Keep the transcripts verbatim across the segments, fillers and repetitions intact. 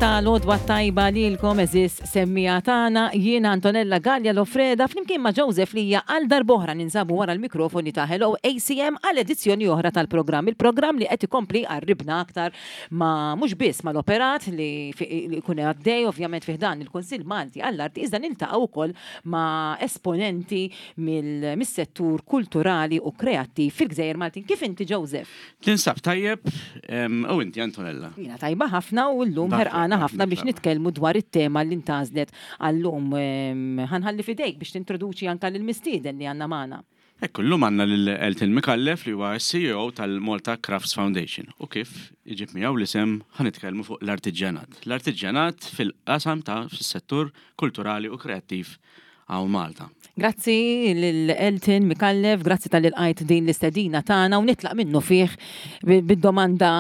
Ta' l-għodwa tajba lilkom, għeżież semmiegħa tagħna. Jiena Antonella Gallia Lofreda flimkien ma' Joseph Lija għal darb'oħra ninsabu wara l-mikrofoni ta' Hello A C M għal edizzjoni oħra tal-programm. Il-programm li qed ikompli qarribna aktar ma' mhux biss mal-operat li jkun għaddej ovvjament fih dan il-Kunsill Malti għall-Arti, iżda niltaqgħu wkoll ma' esponenti mill-settur kulturali u kreattiv fil-Gżejjer Maltin. Kif inti, Joseph? Tinsab tajjeb, u inti, Antonella? Jiena tajba ħafna u llum ħerqana ħafna biex nitkellmu dwar it-tema li ntgħażlet għallum. Ħa nħalli f'idejk biex tintroduċi anka lill-mistieden li għandna magħna. Ekku, llum għandna lil Elton Micallef li huwa C E O tal-Malta Crafts Foundation u kif iġib miegħu l-isem ħa nitkellmu fuq l-artiġjanat. L-artiġjanat fil-qasam ta' fis-settur kulturali u kreattiv hawn Malta. Grazzi lil Elton Micallef, grazzi talli lqajt din l-istedina tagħna u nitlaq minnu fih bid-domanda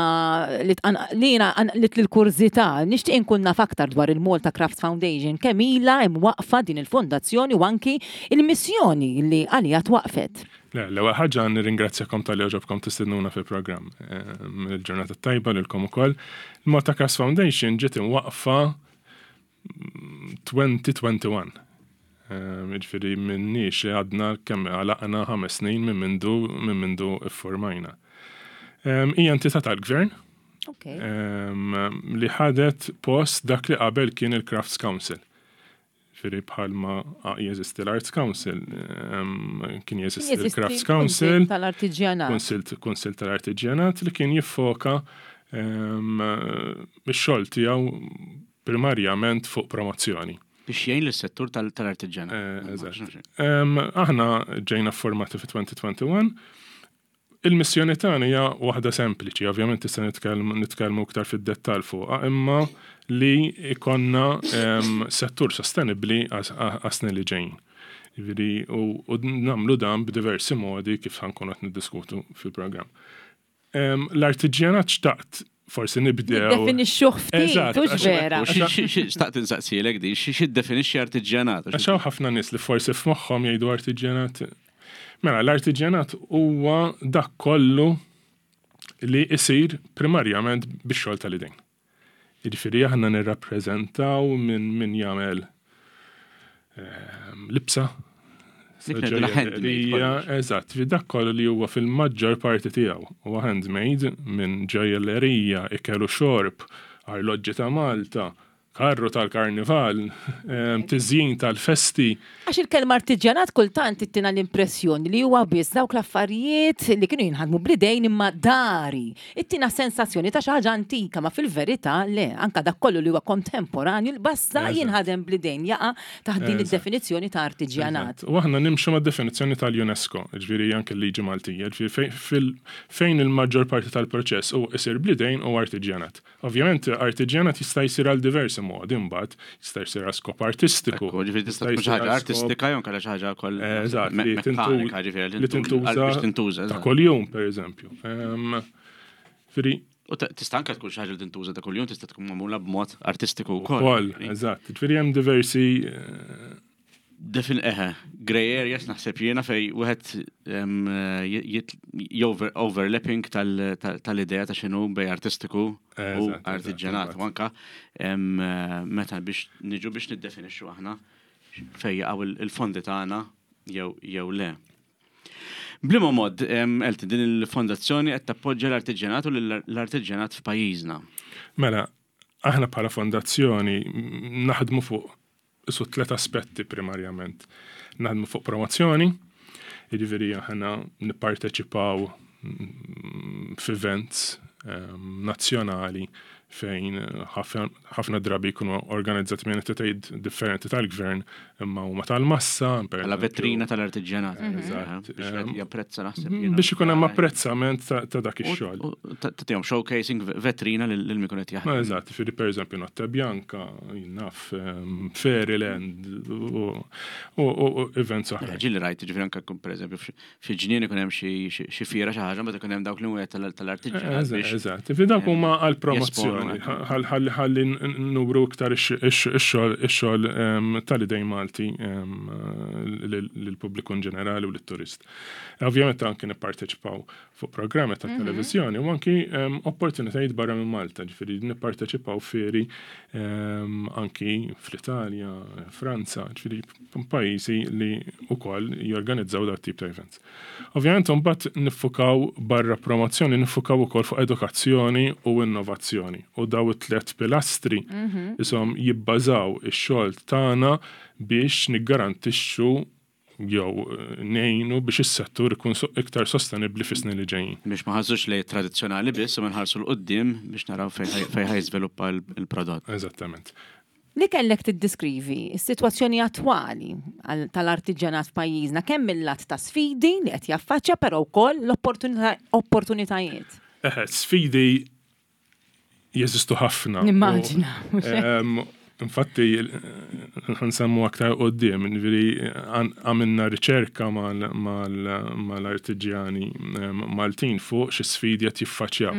li jiena li l-kurżità. Nixtieq inkun naf aktar dwar il-Malta Crafts Foundation, kemm ilha imwaqfa din il-fondazzjoni u anki il-missjoni li għalija twaqfet. Le, l-ewwel ħaġa nirringrazzjakom talli għoġobkom tistednuna fil-programm. Il-ġurnata tajba lilkom ukoll. Il-Malta Crafts Foundation ġiet imwaqfa elfejn u wieħed u għoxrin. Ġifieri minnix li għadna kemm għalaqna ħames snin minn mindu minn mindu iffurmajna. Hija entità tal-gvern li ħadet post dak li qabel kien il-Crafts Council. Ġifieri bħalma jeżisti l-Arts Council, kien jeżisti l-Crafts Council. Tal-artiġjanat. Kunsill tal-Artiġjanat li kien jiffoka ix-xogħol tiegħu primarjament fuq promozzjoni. Biex jgħin l-settur tal-artiġjanat. Eżatt. Aħna ġejna formati fi elfejn u wieħed u għoxrin. Il-missjoni tagħna hija waħda sempliċi, ovvjament tista' nitkellmu iktar fid-dettall fuqha, imma li ikonna settur sostenibbli għas-snin li ġejjin. Ġifieri u nagħmlu dan b'diversi modi kif ħa nkunu qed niddiskutu fil-programm. L-artiġjanat xtaqt forsi nibdew. Definixxuh ftit, hux vera? Xtaqt insaqsilek di, xi definixxi artiġjanat? Għax hawn ħafna nies li forsi f'moħħhom jgħidu artiġjanat. Mela, l-artiġjanat huwa dak kollu li isir primarjament bix-xogħol tal-idejn. Jiġifieri aħna nirrappreżentaw minn min jagħmel ehm, libsa, eżatt, fi dak kollu li huwa fil-maġġor parti tiegħu huwa handmade, minn ġojjellerija, ikel u xorb, arloġġi ta' Malta, karru tal-karnival, tiżjin tal-festi. Għax il-kelma artiġjanat kultant ittina l-impressjoni li huwa biss dawk l-affarijiet li kienu jinħadmu bl-idejn imma dari. Ittina sensazzjoni ta' xi ħaġa antika, ma fil-verità le, anka dak kollu li huwa kontemporanju basta jinħadem bl-idejn jaqa' taħt din id-definizzjoni ta' artiġjanat. U aħna nimxu ma' definizzjoni tal-UNESCO, ġifieri anke l-liġi Maltija, ġifieri fejn il-maġġor parti tal-proċess u isir bl-idejn u artiġjanat. Ovvjament artiġjanat jista' jsir għal diversi modi mbagħad, jista' jsir għal skop artistiku. Ġifieri tista' tkun xi ħaġa artistika jew kellha xi ħaġa wkoll Eżatt, li tintuża ta' kuljum, pereżempju. Ġifieri U tista' anke tkun xi ħaġa li tintuża ta' kuljum, tista' tkun magħmula b'mod artistiku wkoll. Ukoll, eżatt. Ġifieri hemm diversi eh, Defin eħe, grey areas naħseb jiena fej wieħed overlapping tal-idea ta' x'inhu bej artistiku u artiġjanat. U anka meta biex niġu biex niddefinixxu aħna fej jaqgħu il-fondi tagħna jew le. B'liema mod, Elton, din il-fondazzjoni qed tappoġġja l-artiġjanat u l-artiġjanat f'pajjiżna? Mela, aħna bħala fondazzjoni naħdmu fuq su tlet aspetti primarjament. Naħdmu fuq promozzjoni, jiġifieri aħna nipparteċipaw f'events nazzjonali fejn ħafna drabi jkunu organizzati minn entitajiet differenti tal-gvern imma huma tal-massa. Għala vetrina tal-artiġjanat. Eżatt. Biex japprezza naħseb. Biex ikun hemm apprezzament ta' dak ix-xogħol. Tagħtihom showcasing, vetrina lil min ikun qed jaħdem. Eżatt, ġifieri pereżempju Notte Bianca, naf, Fairyland u events oħra. Ġieli rajt, ġifieri anke pereżempju fi ġnien ikun hemm xi fiera, xi ħaġa, meta ikun hemm dawk li huwa tal-artiġjanat. Eżatt, ġifieri dawk huma għall-promozzjoni, ħalli nuru iktar ix-xogħol tal-idejn Malti. Malti lill-pubbliku in ġenerali u lit-turist. Ovvjament anki nipparteċipaw fuq programmi ta' televiżjoni u anki opportunitajiet barra minn Malta, ġifieri nipparteċipaw fieri anki fl-Italja, Franza, ġifieri pajjiżi li wkoll jorganizzaw dat tip ta' events. Ovvjament mbagħad niffukaw barra promozzjoni, niffukaw ukoll fuq edukazzjoni u innovazzjoni. U daw it-tliet pilastri isom jibbażaw ix-xogħol tagħna biex niggarantixxu jew ngħinu biex is-settur ikun iktar sostenibbli fis-snin li ġejjin. Biex ma nħarsux lejn tradizzjonali biss u nħarsu 'l quddiem biex naraw fejn ħa jiżviluppa l-prodott. Eżattament. Li kellek tiddeskrivi s-sitwazzjoni attwali tal-artiġjanat f'pajjiżna kemm mill-lat ta' sfidi li qed jaffaċċja però wkoll l-opportunitajiet. Eħe, sfidi jeżistu ħafna. Nimmaġina. Infatti, nsemmu aktar quddiem, ġifieri għamilna riċerka mal-artiġjani Maltin fuq xi sfidi qed jiffaċċjaw.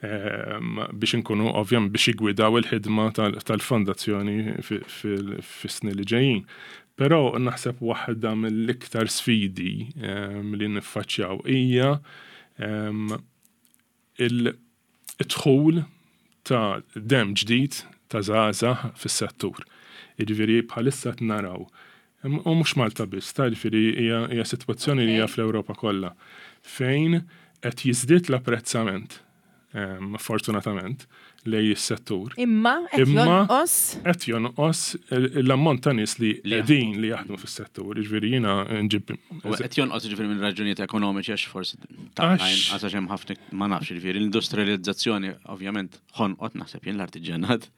Biex inkunu ovvjament biex jigwidaw il-ħidma tal-fondazzjoni fis-snin li ġejjin. Però naħseb waħda mill-iktar sfidi li niffaċċjaw hija il-dħul ta' dem ġdid ta' żgħażagħ fis-settur. Jiġifieri bħalissa naraw. U mhux Malta biss, ta' jiġifieri hija sitwazzjoni li hija fl-Ewropa kollha fejn qed jiżdied l-apprezzament fortunatament lejn is-settur. Imma qed jonqos qed jonqos l-ammont ta' nies li qegħdin li jaħdmu fis-settur. Jiġifieri jiena nġib qed jonqos jiġifieri minn raġunijiet ekonomiċi għax forsi għax hemm ħafna ma nafx jiġifieri l-industrializzazzjoni ovvjament ħonqot naħseb jien l-artiġjanat.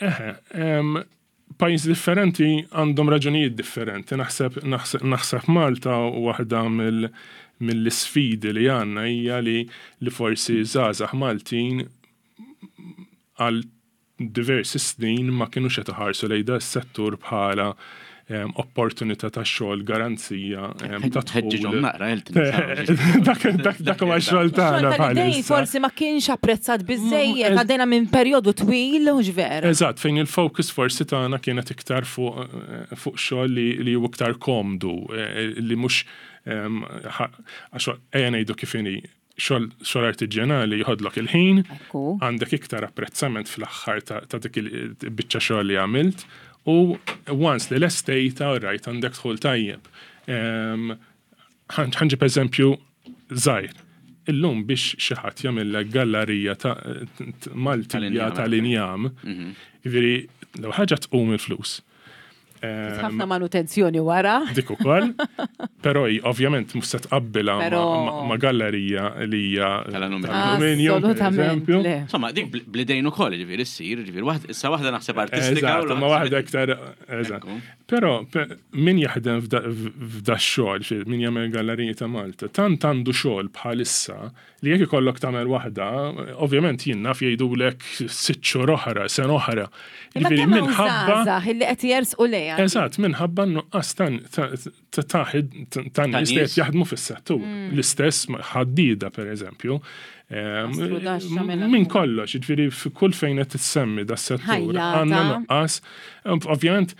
Eħe, pajjiż differenti għandhom raġunijiet differenti. Naħseb naħseb Malta waħda mill mill-isfidi li għandna hija li li forsi żgħażagħ Maltin għal diversi snin ma kienux qed iħarsu lejn da s-settur bħala opportunità ta' xogħol, garanzija ta' Ħeġġiġhom naqra Dak dak huwa x-xogħol tagħna bħalissa. Forsi ma kienx apprezzat biżejjed, għaddejna minn perjodu twil u vera. Eżatt, fejn il-focus forsi tagħna kienet iktar fuq fuq xogħol li huwa iktar komdu, li mhux għax ejja ngħidu kif inhi xogħol artiġjanali jħodlok il-ħin, għandek iktar apprezzament fl-aħħar ta' dik il-biċċa xogħol li għamilt, u once li lestejta, rajt għandek dħul tajjeb. Ħa nġib eżempju żgħir. Illum biex xi ħadd jagħmellek gallerija ta' Maltija tal-injam, jiġifieri l ħaġa tqum il-flus. Ħafna manutenzjoni wara. Dik ukoll. Però ovvjament mhux se tqabbilha ma' gallerija li hija tal-alluminju. Assolutament. Insomma, dik bl-idejn ukoll ġifieri ssir, ġifieri issa waħda naħseb artistika. Eżatt, ma waħda iktar eżatt. Però min jaħdem f'da xogħol, min jagħmel galleriji ta' Malta, tant għandu xogħol bħalissa li jekk ikollok tagħmel waħda, ovvjament jien naf jgħidulek sitt xhur oħra, sena oħra. Ġifieri minħabba li qed jersqu lejha. Eżatt, minħabba nuqqas ta' ta' nies li qed jaħdmu fis-settur. L-istess ħaddida pereżempju. Min kollox, ġifieri kull fejn qed tissemmi da settur għandna nuqqas. Ovvjament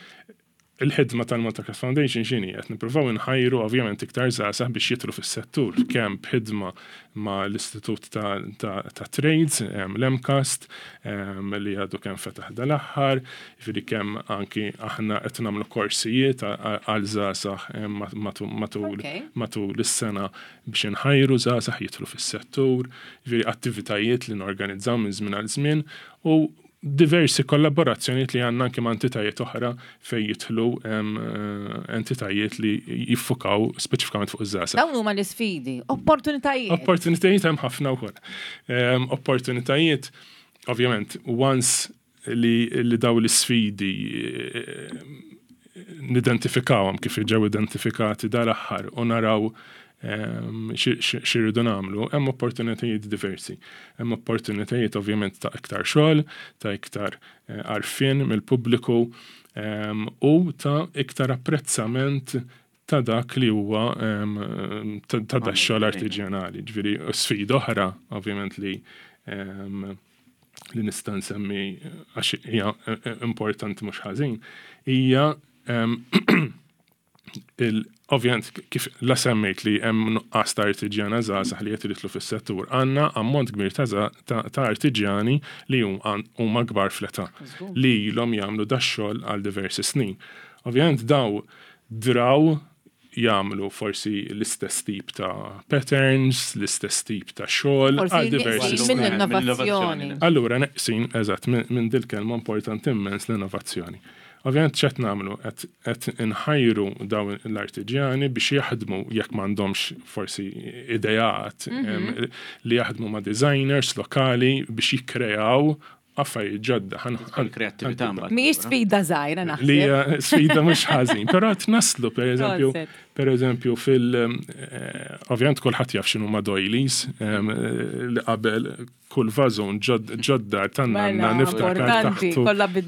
il-ħidma tal-Malta Craft Foundation x'inhi qed nippruvaw inħajru ovvjament iktar żgħażagħ biex jidħlu fis-settur kemm b'ħidma ma' l-Istitut ta' Trades, l-MCAST, li għadu kemm fetaħ dal-aħħar, jiġifieri kemm anki aħna qed nagħmlu korsijiet għal żgħażagħ matul matul is-sena biex inħajru żgħażagħ jidħlu fis-settur, jiġifieri attivitajiet li norganizzaw minn żmien għal żmien u diversi kollaborazzjonijiet li għandna anke ma' entitajiet oħra fejn jidħlu entitajiet li jiffukaw speċifikament fuq iż-żgħażagħ. Dawn huma l-isfidi, opportunitajiet. Opportunitajiet hemm ħafna wkoll. Opportunitajiet, ovvjament, once li, li daw l-isfidi nidentifikawhom kif ġew identifikati dal-aħħar u naraw x'irridu nagħmlu, hemm opportunitajiet diversi. Hemm opportunitajiet ovvjament ta' iktar xogħol, ta' iktar għarfien mill-pubbliku u ta' iktar apprezzament ta' dak li huwa ta' dak xogħol artiġjanali. Ġifieri sfida oħra ovvjament li li nista' nsemmi għax hija importanti mhux ħażin, hija Ovvjament, kif la semmejt li hemm nuqqas ta' artiġjana żgħażagħ li qed jidħlu fis-settur, għandna ammont kbir ta' artiġjani li huma kbar fl-età li ilhom jagħmlu dax-xogħol għal diversi snin. Ovvjament daw draw jagħmlu forsi l-istess tip ta' patterns, l-istess tip ta' xogħol għal diversi snin. Mill-innovazzjoni. Allura neqsin, eżatt, minn dil-kelma importanti immens l-innovazzjoni. Ovvjament x'qed nagħmlu qed inħajru dawn l-artiġjani biex jaħdmu jekk m'għandhomx forsi ideat li jaħdmu ma' designers lokali biex jikkreaw affarijiet ġodda. Kreattività mbagħad. Mhijiex sfida żgħira naħseb. Li sfida mhux ħażin, però qed naslu pereżempju pereżempju fil ovvjament kulħadd jaf x'inhuma doilies li qabel kull vażun ġoddar tan-nanna niftakar taħtu.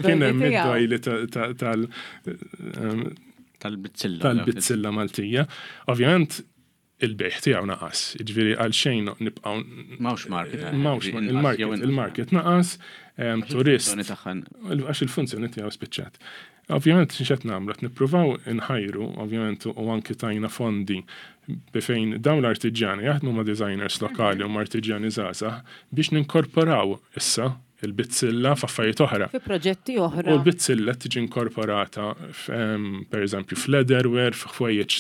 Kien hemm id-doili tal tal-bizzilla. Tal-bizzilla Maltija. Ovvjament il-bejħ tiegħu naqas, jiġifieri għal xejn nibqgħu M'hawnx market. M'hawnx il-market, il-market naqas, turist. Għax il-funzjoni tiegħu spiċċat. Ovvjament x'qed nagħmlu, qed nippruvaw inħajru, ovvjament u anki tajna fondi fejn dawn l-artiġjani jaħdmu ma' designers lokali u ma' artiġjani żgħażagħ biex ninkorporaw issa il-bizzilla f'affarijiet oħra. Fi proġetti oħra. U l-bizzilla tiġi inkorporata per eżempju f'leatherware, f'ħwejjeġ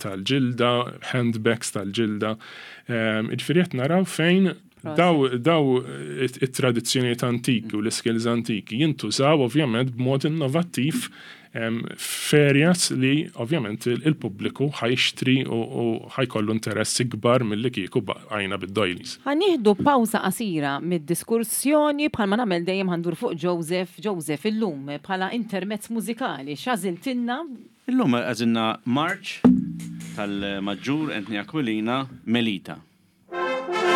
tal-ġilda, handbags tal-ġilda. Jiġifieri qed naraw fejn daw daw it-tradizzjonijiet antiki u l-skills antiki jintużaw ovvjament b'mod innovattiv f'areas li ovvjament il-pubbliku ħa jixtri u ħa jkollu interess ikbar milli kieku bqajna bid-doilies. Ħa nieħdu pawża qasira mid-diskussjoni bħalma nagħmel dejjem ħa ndur fuq Joseph. Joseph illum bħala intermezz mużikali x'għażiltilna? Illum għażilna March tal-Maġġur Anthony Aquilina, Melita. Thank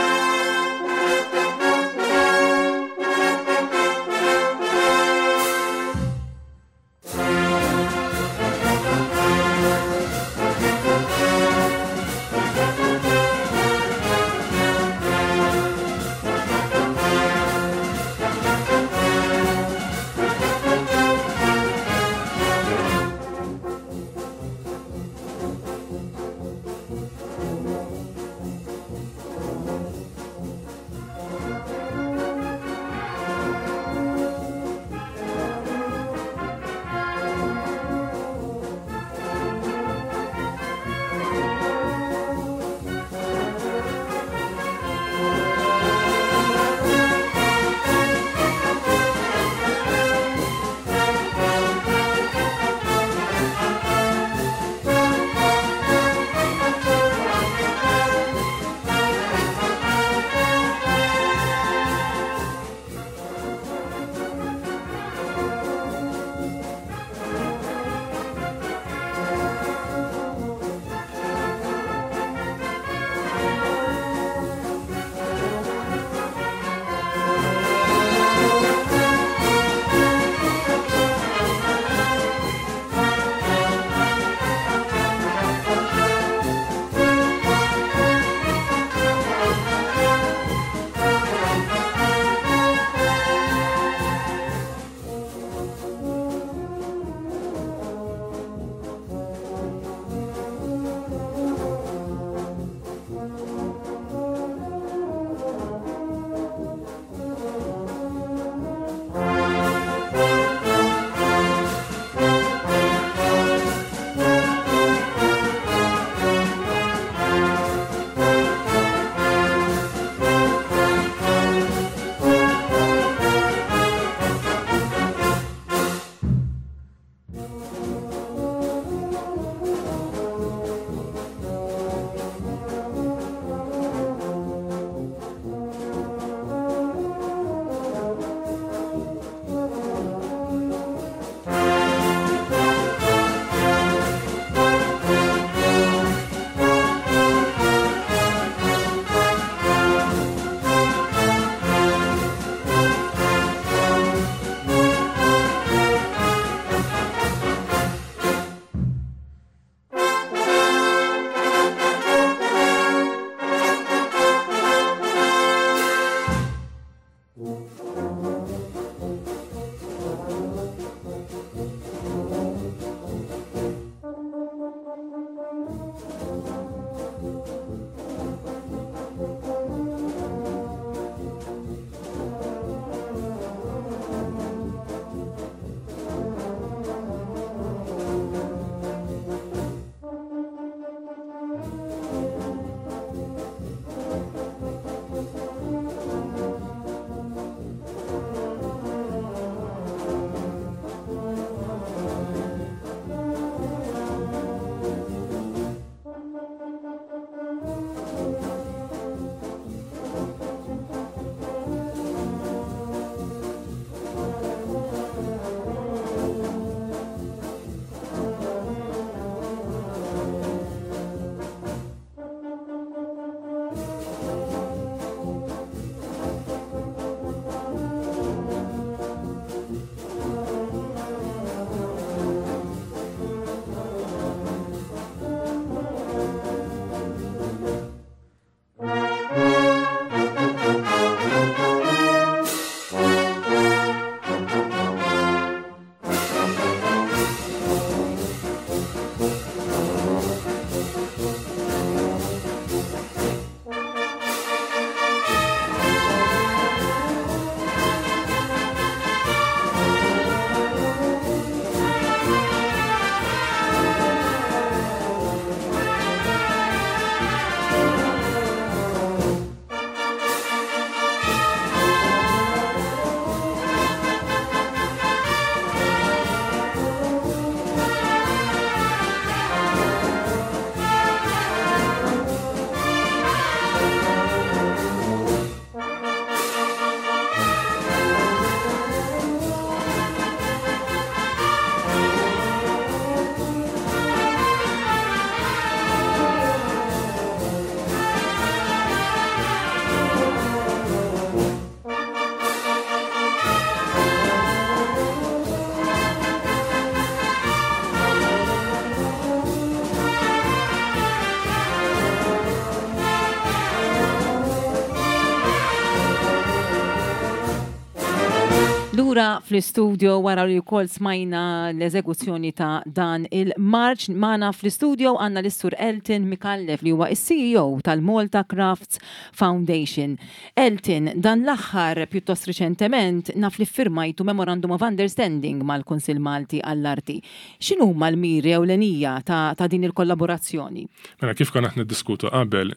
Lura fl-istudio wara li wkoll smajna l-eżekuzzjoni ta' dan il-marċ, magħna fl-istudio għandna lis-Sur Elton Micallef li huwa is-C E O tal-Malta Crafts Foundation. Elton, dan l-aħħar, pjuttost riċentement, naf li firmajtu Memorandum of Understanding mal-Kunsill Malti għall-Arti. X'inhuma l-miri ewlenija ta', ta' din il-kollaborazzjoni? Mela, kif konna qed niddiskutu qabel,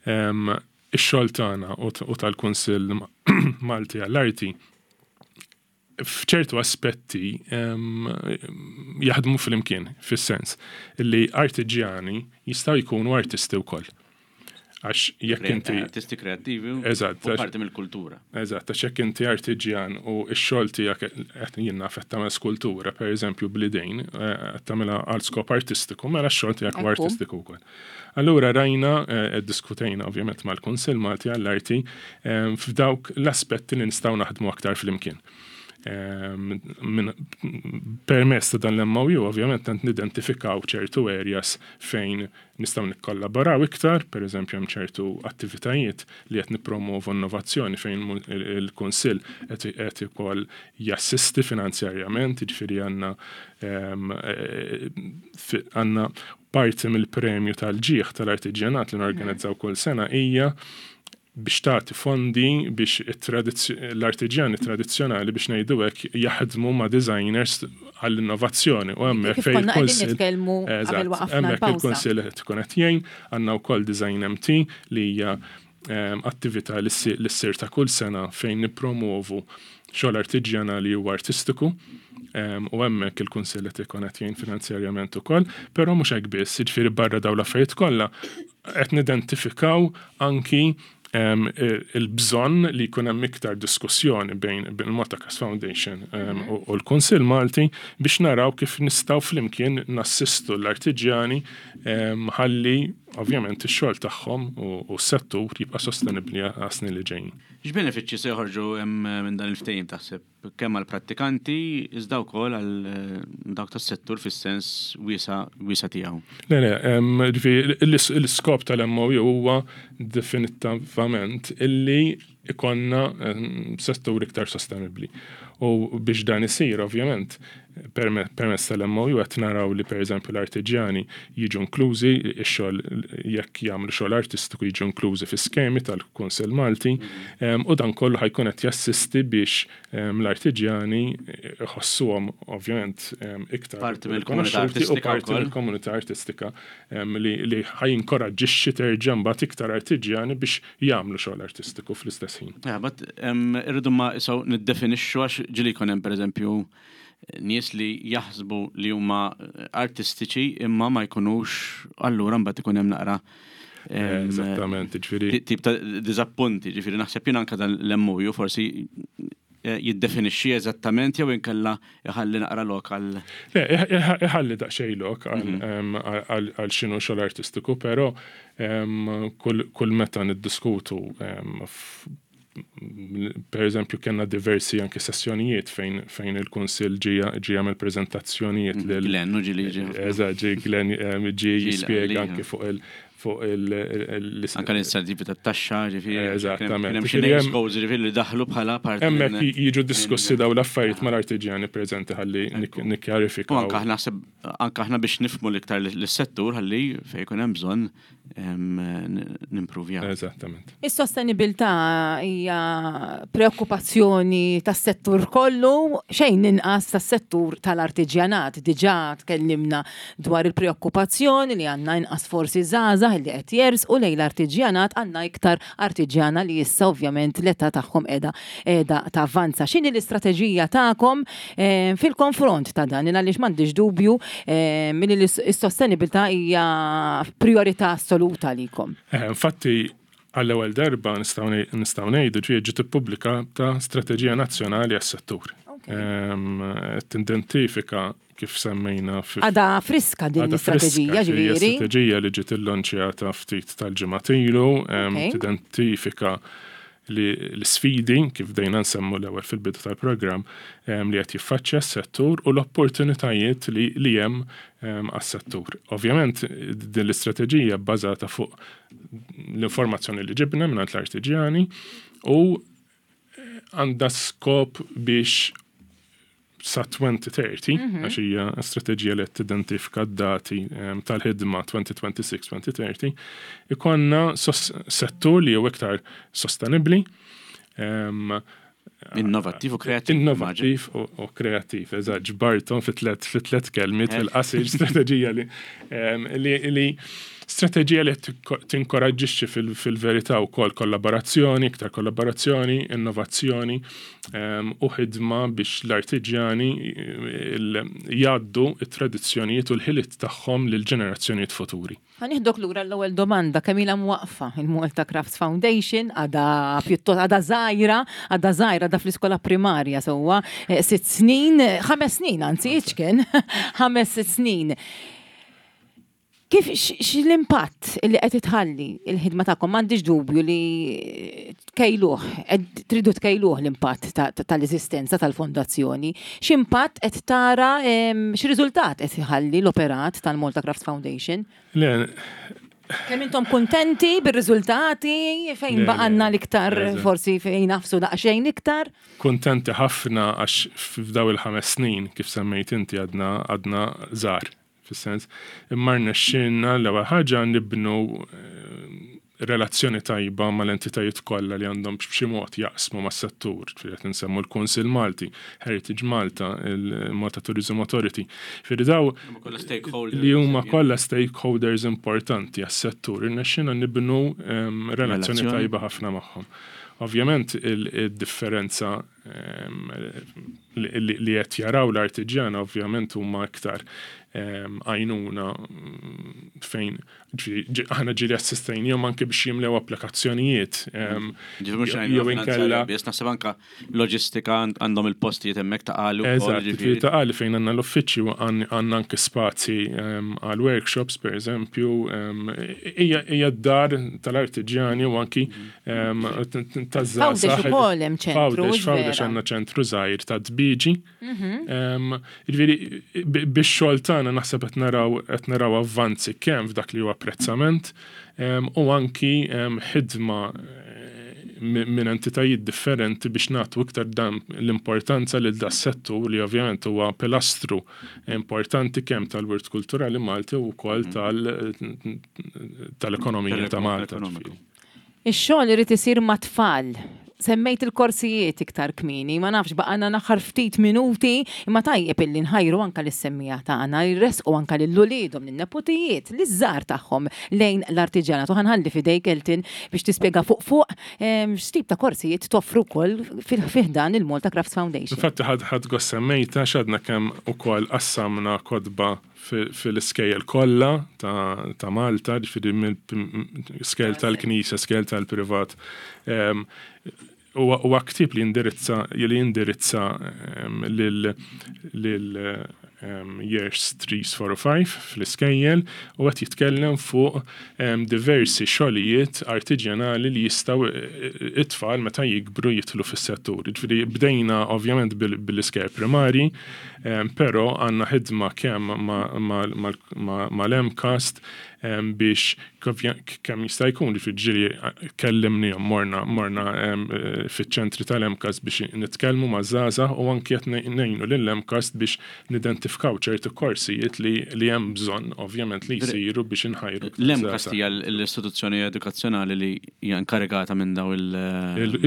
em, ix-xogħol tagħna u t- u tal-Kunsill Malti għall-Arti f'ċertu aspetti em, jaħdmu flimkien, fis-sens li artiġjani jistgħu jkunu artisti wkoll. Għax jekk inti Artisti kreattivi u Eżatt, u għax- parti mill-kultura. Eżatt, għax jekk inti artiġjan u x-xogħol tiegħek qed jien naf qed tagħmel skultura, pereżempju bl-idejn, eh, qed tagħmilha għal skop artistiku, mela x-xogħol tiegħek huwa Ekku. artistiku wkoll. Allura rajna, eh, diskutejna ovvjament mal-Kunsill Malti għall-Arti eh, f'dawk l-aspetti li nistgħu naħdmu aktar flimkien. Em, min- Permezz ta' dan l-M O U, ovvjament, tant nidentifikaw ċertu areas fejn nistgħu nikkollaboraw iktar, per eżempju hemm ċertu attivitajiet li qed nippromovu innovazzjoni fejn mu- il- il-Kunsill qed qed ukoll jassisti finanzjarjament, jiġifieri għandna em, eh, fi- għandna parti mill-premju tal-ġieħ tal-artiġjanat li norganizzaw kull sena hija biex tagħti fondi biex it-tradizz- l-artiġjani tradizzjonali, biex ngħidu hekk, jaħdmu ma' designers għall-innovazzjoni u hemmhekk Kif fejn konna qegħdin il-Kunsill nitkellmu qabel Eżatt, waqafna hemmhekk l-pawża. il-Kunsill qed tkun qed jgħin, għandna wkoll Design M T li hija em, attività li ssir- li ssir ta' kull sena fejn nippromovu xogħol artiġjanali u artistiku. Em, u hemmhekk il-Kunsill qed ikun qed jgħin finanzjarjament ukoll, però mhux hekk biss, jiġifieri barra dawn l-affarijiet kollha qed nidentifikaw anki em, il- il-bżonn li jkun hemm iktar diskussjoni bejn bejn il-Malta Crafts Foundation em, u u l-Kunsill Malti biex naraw kif nistgħu flimkien nassistu l-artiġjani em, ħalli ovvjament ix-xogħol tagħhom u u s-settur jibqa' sostenibbli għas-snin li ġejjin. X'benefiċċji se joħorġu hemm minn dan il-ftehim taħseb kemm għall-prattikanti iżda wkoll għal eh, dawk tas-settur fis-sens wiesa wiesa tiegħu? Le, le, em, ġifieri, l-iskop tal-M O U huwa definitivament illi ikonna em, settur iktar sostenibli. U biex dan isir, ovvjament, perme- permezz tal-M O U qed naraw li pereżempju l-artiġjani jiġu inklużi, ix-xogħol jekk jagħmlu xogħol artistiku jiġu inklużi fi skemi tal-Kunsill Malti, em, u dan kollu ħa jkun qed jassisti biex em, l-artiġjani iħossuhom ovvjament em, iktar Parti mill-komunità rikonoxxuti u artistika parti wkoll. mill-komunità artistika em, li, li ħa jinkoraġġixxi terġa' mbagħad iktar artiġjani biex jagħmlu xogħol artistiku fl-istess ħin. Ja, but em, irridu ma isaw niddefinixxu, għax ġieli jkun hemm pereżempju nies li jaħsbu li huma artistiċi imma ma jkunux, allura mbagħad ikun hemm naqra em, Eżattament, ġifieri ti- tip ta' diżappunti, ġifieri naħseb jien anke dan l-M O U forsi eh, jiddefinixxi eżattament jew inkella iħalli naqra lok għal. Le, iħalli daqsxejn lok mhm. għal x'inhu xogħol artistiku, però kull meta niddiskutu, per eżempju, kellna diversi anke sessjonijiet fejn fejn il-Kunsill ġie ġie jagħmel preżentazzjonijiet lil Glenn, u ġieli ġie. Eżatt, ġie Glenn, ġie jispjega anke fuq il fuq il Anka l-inċentivi tat-taxxa, ġifieri. Eżattament. Hemm xi goals, ġifieri, li daħlu bħala parti. Hemmhekk jiġu diskussi daw l-affarijiet mal-artiġjani preżenti ħalli nikkjarifikaw. U anka aħna anka aħna biex nifhmu l-iktar l-settur ħalli fejn jkun hemm bżonn nimprovjaw. Eżattament. Is-sostenibilità hija preokkupazzjoni tas-settur kollu, xejn inqas tas-settur tal-artiġjanat. Diġà tkellimna dwar il-preokkupazzjoni li għandna inqas forsi żgħażagħ li qed jersqu lejn l-artiġjanat, għandna iktar artiġjana li issa ovvjament l-età tagħhom qiegħda qiegħda tavvanza. X'inhi l-istrateġija tagħkom eh, fil-konfront ta' dan? Għaliex m'għandix dubju eh, milli l-sostenibilità hija priorità assoluta għalikom. Eh, infatti, għall-ewwel darba nistgħu ngħidu ġie ġiet ippubblikata strateġija nazzjonali għas-settur. Tidentifika, kif semmejna. Għadha friska din l-istrateġija, ġifieri. Strateġija li ġiet illonċjata ftit tal-ġimgħat ilu, tidentifika li l-sfidi, kif dejna nsemmu l-ewwel fil-bidu tal-programm, li qed jiffaċċja s-settur u l-opportunitajiet li, li hemm għas-settur. Ovvjament, din l-istrateġija bbażata fuq l-informazzjoni li ġibna minn l-artiġjani u għandha skop biex sa elfejn u tletin, mhm. għax hija strateġija li tidentifika d-dati tal-ħidma elfejn u sitta u għoxrin-elfejn u tletin, ikollna settur li huwa iktar sostenibli, Innovattiv u kreattiv. Innovattiv u kreattiv, eżatt, ġbartom fi tlet kelmiet fil-qasir strateġija li li strateġija li tinkoraġġixxi fil-verità wkoll kollaborazzjoni, iktar kollaborazzjoni, innovazzjoni u ħidma biex l-artiġjani jgħaddu it-tradizzjonijiet u l-ħiliet tagħhom lil ġenerazzjonijiet futuri. Ħa nieħdok lura l-ewwel domanda: kemm ilha mwaqfa il-Malta Crafts Foundation? Għadha pjuttost għadha żgħira, għadha żgħira, għadha fl-iskola primarja sewwa, eh, sitt snin, ħames snin anzi, iċken, ħames snin. Kif l-impatt li qed itħalli il-ħidma tagħkom? M'għandix dubju li tkejluh, tridu tkejluh l-impatt tal-eżistenza tal-fondazzjoni. X'impatt qed tara, x'riżultat qed iħalli l-operat tal-Malta Crafts Foundation? Le, Kemm intom kuntenti bir-riżultati, fejn baqgħalna l-iktar, forsi fejn nagħfsu daqsxejn iktar? Kuntenti ħafna għax f'daw il-ħames snin, kif semmejt inti, għadna għadna żgħar fis-sens. Imma rnexxielna l-ewwel ħaġa nibnu eh, relazzjoni tajba mal-entitajiet kollha li għandhom b'xi mod jaqsmu mas-settur. Qed nsemmu l-Kunsill Malti, Heritage Malta, il-Malta Tourism Authority. Ġifieri daw li huma kollha stakeholders importanti għas-settur. Irnexxielna nibnu ehm, relazzjoni tajba ħafna magħhom. Ovvjament, il-differenza ehm, li qed jaraw l-artiġjana ovvjament huma iktar ehm, għajnuna mm, fejn aħna ġieli assistejnihom anke biex jimlew applikazzjonijiet. Ehm, jew inkella. Naħseb anka loġistika, għandhom il-postijiet hemmhekk Ta' Qali. Eżatt, Ta' Qali fejn għandna l-uffiċċju għandna anke spazji għal workshops, per eżempju, hija d-dar tal-artiġjani u anki taż-żgħażagħ. Ukoll hemm ċentru. F'Għawdex għandna ċentru żgħir ta' Dbiġi. Mhm. Ġifieri bix-xogħol tagħna naħseb qed naraw qed naraw avvanzi kemm f'dak li huwa apprezzament u anki ħidma eh, minn entitajiet differenti biex nagħtu iktar dan l-importanza lil da settur li ovvjament huwa pilastru importanti kemm tal-wirt kulturali Malti u wkoll mhm. tal-ekonomija ta' Malta. Ix-xogħol irid isir mat-tfal. Semmejt il-korsijiet iktar kmieni, ma nafx, baqgħalna naħar ftit minuti, imma tajjeb illi nħajru anka lis-semmiegħa tagħna jressqu anka lil uliedhom, lin-nepotijiet, liż-żgħar tagħhom lejn l-artiġjanat. U ħa nħalli f'idejk, Elton, biex tispjega fuq fuq x'tip ta' korsijiet toffru wkoll fi ħdan il-Malta Crafts Foundation. Infatti ħadt ħadt gost semmejta x'għadna kemm ukoll qassamna kotba fil-iskejjel kollha ta' Malta, ġifieri mill-skejjel tal-Knisja, skejjel tal-privat. Huwa ktieb li jindirizza li jindirizza lil lil years three, four u five fl-iskejjel u qed jitkellem fuq diversi xogħlijiet artiġjanali li jistgħu it-tfal meta jikbru jidħlu fis-settur. Ġifieri bdejna ovvjament bil-iskejjel primari, però għandna ħidma kemm mal-MCAST biex kemm jista' jkun, ġifieri ġieli kellimnihom, morna morna fiċ-ċentri tal-MCAST biex nitkellmu maż-żgħażagħ u anki qed ngħinu lill-MCAST biex nidentifikaw ċertu korsijiet li li hemm bżonn ovvjament li jsiru biex inħajru. L-MCAST hija l-istituzzjoni edukazzjonali li hija inkarigata minn daw il-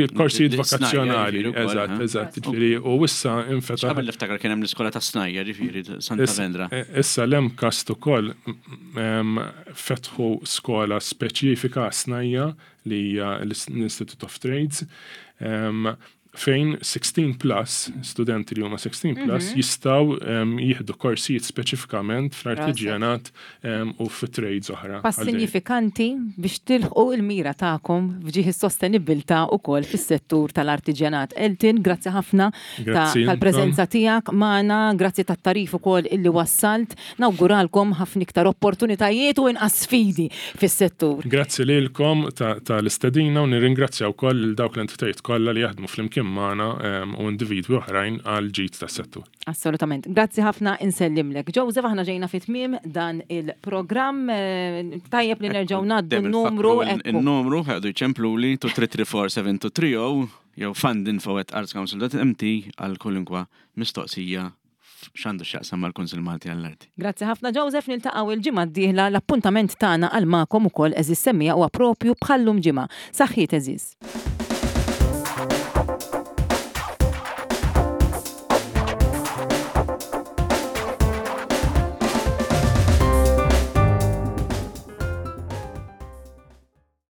Il-korsijiet vokazzjonali, eżatt, eżatt, ġifieri u issa infetaħ. Qabel niftakar kien hemm l-iskola ta' snajja, ġifieri Santa Vendra. Issa l-MCAST ukoll fetħu skola speċifika snajja li hija l-Institute of Trades, fejn sixteen plus, studenti li huma sixteen plus, mhm. jistgħu jieħdu korsijiet speċifikament fl-artiġjanat u fit-trades oħra. Pass sinifikanti biex tilħqu il-mira tagħkom f'ġieħ is-sostenibbiltà ukoll fis-settur tal-artiġjanat. Elton, grazzi ħafna tal-preżenza tiegħek magħna, grazzi tat-tagħrif ukoll illi wassalt. Nawguralkom ħafna iktar opportunitajiet u inqas sfidi fis-settur. Grazzi lilkom tal-istedina u nirringrazzja wkoll lil dawk l-entitajiet kollha li jaħdmu flimkien magħna u individwi oħrajn għal ġid tas-settur. Assolutament. Grazzi ħafna, insellimlek. Joseph, aħna ġejna fi tmiem dan il-programm. Tajjeb li nerġgħu ngħaddu n-numru. Il-numru ħadu jċempluli two three three four seven two three zero jew fundinfo at artscouncil dot M T għal kwalunkwe mistoqsija x'għandu x'jaqsam mal-Kunsill Malti għall-Arti. Grazzi ħafna, Joseph, niltaqgħu il-ġimgħa d-dieħla. L-appuntament tagħna għal magħkom ukoll, għeżież semmiegħa, huwa propju bħallum ġimgħa. Saħħiet, għeżież.